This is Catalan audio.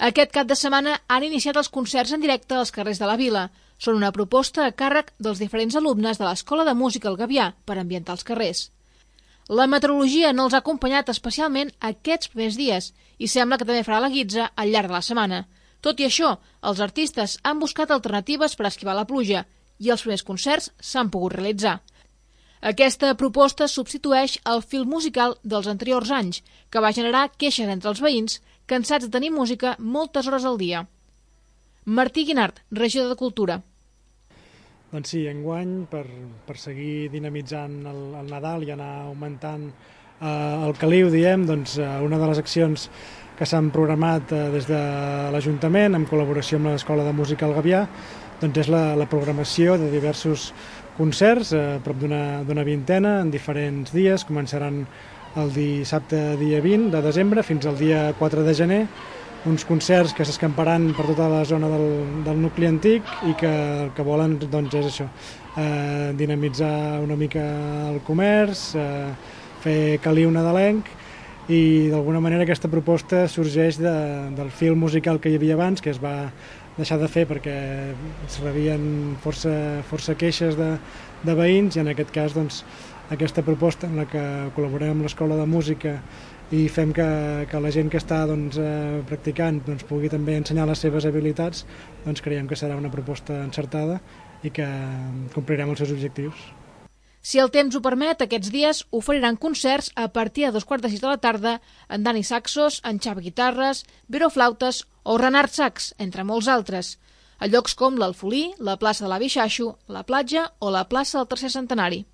Aquest cap de setmana han iniciat els concerts en directe als carrers de la vila. Són una proposta a càrrec dels diferents alumnes de l'Escola de Música El Gavià per ambientar els carrers. La meteorologia no els ha acompanyat especialment aquests primers dies i sembla que també farà la guitza al llarg de la setmana. Tot i això, els artistes han buscat alternatives per esquivar la pluja i els primers concerts s'han pogut realitzar. Aquesta proposta substitueix el fil musical dels anteriors anys, que va generar queixes entre els veïns, cansats de tenir música moltes hores al dia. Martí Guinart, regidor de Cultura. Doncs sí, enguany, per seguir dinamitzant el Nadal i anar augmentant el caliu, doncs una de les accions que s'han programat des de l'Ajuntament, en col·laboració amb l'Escola de Música El Gavià, doncs és la programació de diversos concerts, prop d'una vintena, en diferents dies. Començaran el dissabte dia 20 de desembre fins al dia 4 de gener, uns concerts que s'escamparan per tota la zona del nucli antic i que el que volen doncs, és això, dinamitzar una mica el comerç, fer caliu nadalenc, i d'alguna manera aquesta proposta sorgeix del fil musical que hi havia abans, que es va deixar de fer perquè es rebien força queixes de veïns, i en aquest cas doncs, aquesta proposta en la que col·laborem amb l'Escola de Música i fem que la gent que està practicant pugui també ensenyar les seves habilitats, doncs creiem que serà una proposta encertada i que complirem els seus objectius. Si el temps ho permet, aquests dies oferiran concerts a partir de 2:15 de la tarda en Dani Saxos, en Xavi Guitarres, Vero Flautes o Renard Sax, entre molts altres, a llocs com l'Alfolí, la plaça de l'Avi Xaxo, la platja o la plaça del Tercer Centenari.